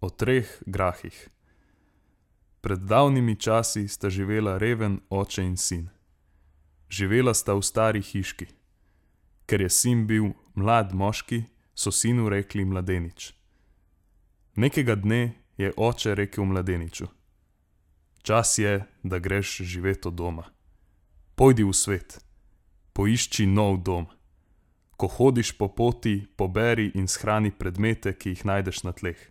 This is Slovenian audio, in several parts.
O 3 grahih. Pred davnimi časi sta živela reven oče in sin. Živela sta v stari hiški. Ker je sin bil mlad moški, so sinu rekli mladenič. Nekega dne je oče rekel mladeniču: Čas je, da greš živet od doma. Pojdi v svet, poišči nov dom. Ko hodiš po poti, poberi in shrani predmete, ki jih najdeš na tleh.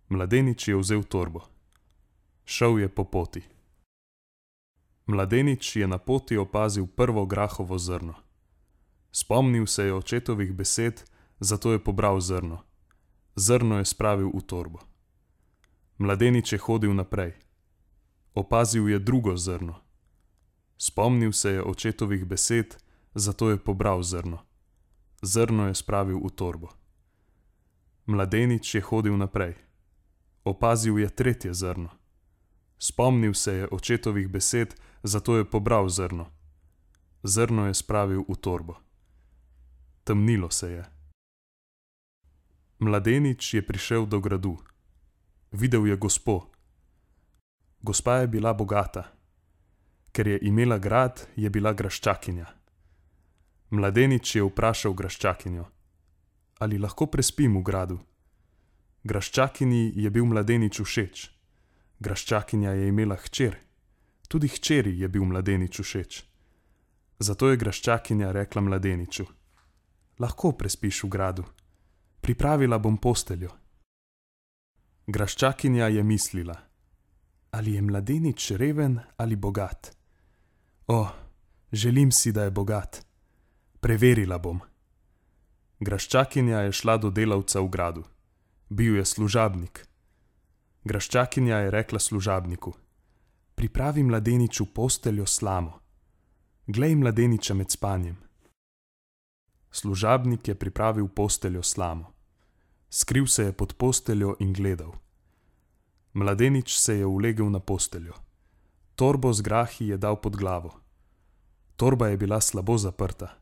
Mladenič je vzel torbo. Šel je po poti. Mladenič je na poti opazil prvo grahovo zrno. Spomnil se je očetovih besed, zato je pobral zrno. Zrno je spravil v torbo. Mladenič je hodil naprej. Opazil je drugo zrno. Spomnil se je očetovih besed, zato je pobral zrno. Zrno je spravil v torbo. Mladenič je hodil naprej. Opazil je tretje zrno. Spomnil se je očetovih besed, zato je pobral zrno. Zrno je spravil v torbo. Temnilo se je. Mladenič je prišel do gradu. Videl je gospo. Gospa je bila bogata. Ker je imela grad, je bila graščakinja. Mladenič je vprašal graščakinjo: Ali lahko prespim v gradu? Graščakinji je bil mladenič všeč. Graščakinja je imela hčer. Tudi hčeri je bil mladenič všeč. Zato je graščakinja rekla mladeniču: Lahko prespiš v gradu. Pripravila bom posteljo. Graščakinja je mislila: Ali je mladenič reven ali bogat? O, želim si, da je bogat. Preverila bom. Graščakinja je šla do delavca v gradu. Bil je služabnik. Graščakinja je rekla služabniku: Pripravi mladeniču posteljo slamo. Glej mladeniča med spanjem. Služabnik je pripravil posteljo slamo. Skril se je pod posteljo in gledal. Mladenič se je ulegel na posteljo. Torbo z grahi je dal pod glavo. Torba je bila slabo zaprta.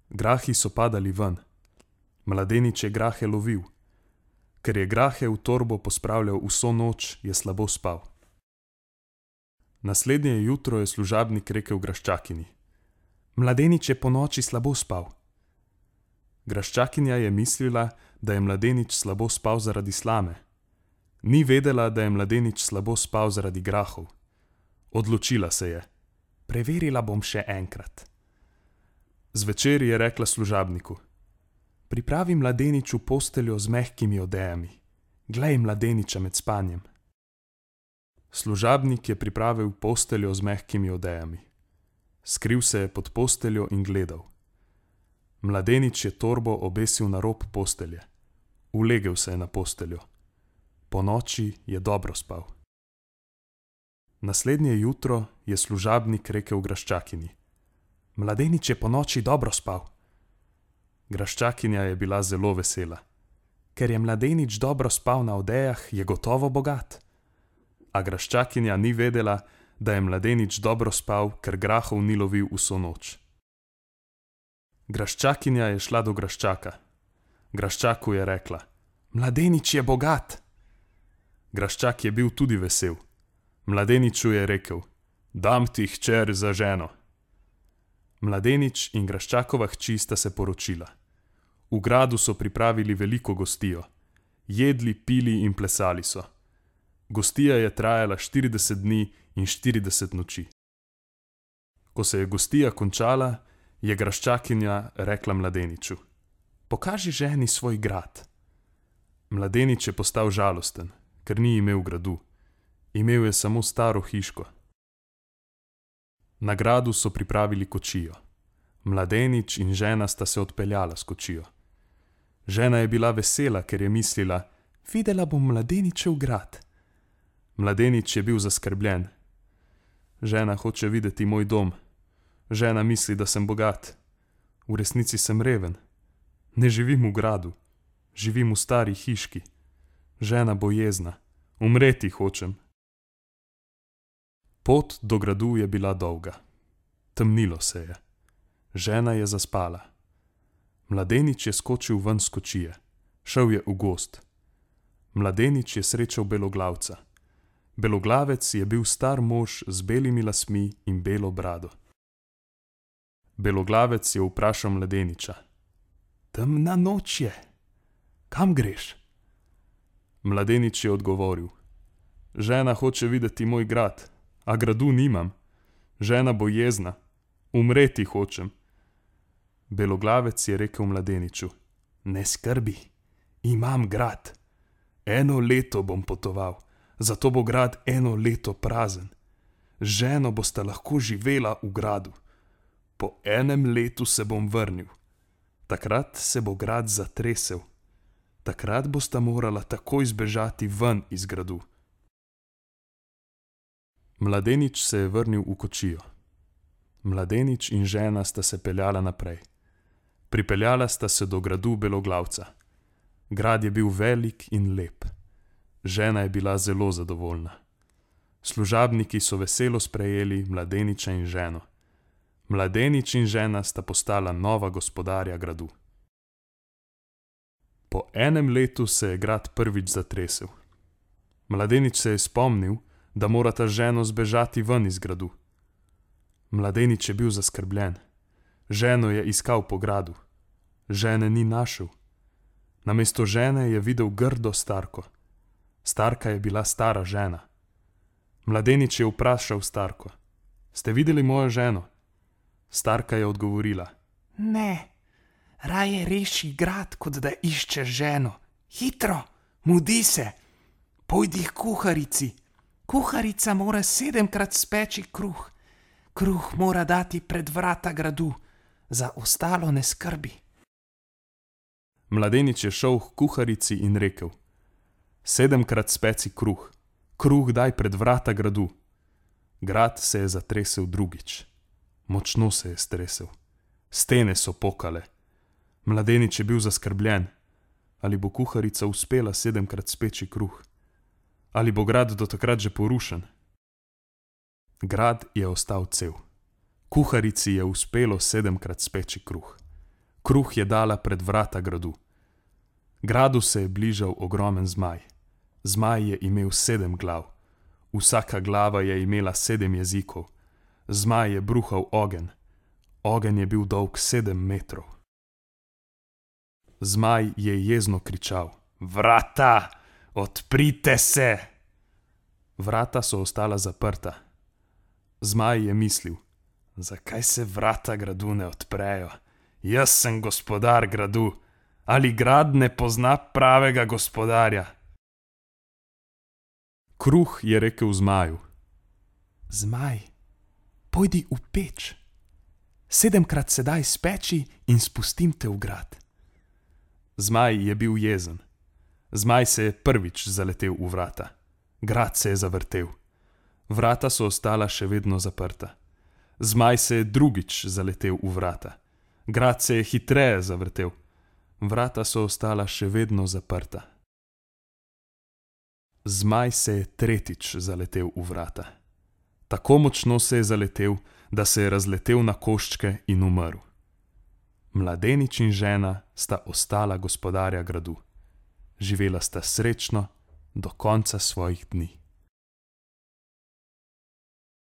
Grahi so padali ven. Mladenič je grahe lovil. Ker je grahe v torbo pospravljal vso noč, je slabo spal. Naslednje jutro je služabnik rekel graščakinji: Mladenič je ponoči slabo spal. Graščakinja je mislila, da je mladenič slabo spal zaradi slame. Ni vedela, da je mladenič slabo spal zaradi grahov. Odločila se je: Preverila bom še enkrat. Zvečer je rekla služabniku: Pripravi mladeniču posteljo z mehkimi odejami. Glej mladeniča med spanjem. Služabnik je pripravil posteljo z mehkimi odejami. Skril se je pod posteljo in gledal. Mladenič je torbo obesil na rob postelje. Ulegel se je na posteljo. Ponoči je dobro spal. Naslednje jutro je služabnik rekel graščakinji: Mladenič je ponoči dobro spal. Graščakinja je bila zelo vesela. Ker je mladenič dobro spal na odejah, je gotovo bogat. A graščakinja ni vedela, da je mladenič dobro spal, ker grahov ni lovil vso noč. Graščakinja je šla do graščaka. Graščaku je rekla: Mladenič je bogat. Graščak je bil tudi vesel. Mladeniču je rekel: Dam ti hčer za ženo. Mladenič in graščakova hči sta se poročila. V gradu so pripravili veliko gostijo. Jedli, pili in plesali so. Gostija je trajala 40 dni in 40 noči. Ko se je gostija končala, je graščakinja rekla mladeniču: Pokaži ženi svoj grad. Mladenič je postal žalosten, ker ni imel gradu. Imel je samo staro hiško. Na gradu so pripravili kočijo. Mladenič in žena sta se odpeljala s kočijo. Žena je bila vesela, ker je mislila: Videla bom mladeničev grad. Mladenič je bil zaskrbljen. Žena hoče videti moj dom. Žena misli, da sem bogat. V resnici sem reven. Ne živim v gradu. Živim v stari hiški. Žena bo jezna. Umreti hočem. Pot do gradu je bila dolga. Temnilo se je. Žena je zaspala. Mladenič je skočil ven s kočije. Šel je v gozd. Mladenič je srečal beloglavca. Beloglavec je bil star mož z belimi lasmi in belo brado. Beloglavec je vprašal mladeniča: Temna noč je, kam greš? Mladenič je odgovoril: Žena hoče videti moj grad, a gradu nimam. Žena bo jezna, umreti hočem. Beloglavec je rekel mladeniču: Ne skrbi, imam grad. 1 leto bom potoval, zato bo grad 1 leto prazen. Z ženo bosta lahko živela v gradu. Po 1 letu se bom vrnil. Takrat se bo grad zatresel. Takrat bosta morala takoj zbežati ven iz gradu. Mladenič se je vrnil v kočijo. Mladenič in žena sta se peljala naprej. Pripeljala sta se do gradu beloglavca. Grad je bil velik in lep. Žena je bila zelo zadovoljna. Služabniki so veselo sprejeli mladeniča in ženo. Mladenič in žena sta postala nova gospodarja gradu. Po 1 letu se je grad prvič zatresel. Mladenič se je spomnil, da morata ženo zbežati ven iz gradu. Mladenič je bil zaskrbljen. Ženo je iskal po gradu. Žene ni našel. Namesto žene je videl grdo starko. Starka je bila stara žena. Mladenič je vprašal starko: Ste videli mojo ženo? Starka je odgovorila: Ne, raje reši grad, kot da iščeš ženo. Hitro, mudi se, pojdi k kuharici. Kuharica mora 7-krat speči kruh. Kruh mora dati pred vrata gradu, za ostalo ne skrbi. Mladenič je šel k kuharici in rekel: 7-krat speci kruh. Kruh daj pred vrata gradu. Grad se je zatresel drugič. Močno se je stresel. Stene so pokale. Mladenič je bil zaskrbljen. Ali bo kuharica uspela 7-krat speči kruh? Ali bo grad do takrat že porušen? Grad je ostal cel. Kuharici je uspelo 7-krat speči kruh. Kruh je dala pred vrata gradu. Gradu se je bližal ogromen zmaj. Zmaj je imel 7 glav. Vsaka glava je imela 7 jezikov. Zmaj je bruhal ogenj. Ogenj je bil dolg 7 metrov. Zmaj je jezno kričal: Vrata, odprite se! Vrata so ostala zaprta. Zmaj je mislil: Zakaj se vrata gradu ne odprejo? Jaz sem gospodar gradu. Ali grad ne pozna pravega gospodarja? Kruh je rekel zmaju: Zmaj, pojdi v peč. 7-krat se daj speči in spustim te v grad. Zmaj je bil jezen. Zmaj se je prvič zaletel v vrata. Grad se je zavrtel. Vrata so ostala še vedno zaprta. Zmaj se je drugič zaletel v vrata. Grad se je hitreje zavrtel. Vrata so ostala še vedno zaprta. Zmaj se je tretjič zaletel v vrata. Tako močno se je zaletel, da se je razletel na koščke in umrl. Mladenič in žena sta ostala gospodarja gradu. Živela sta srečno do konca svojih dni.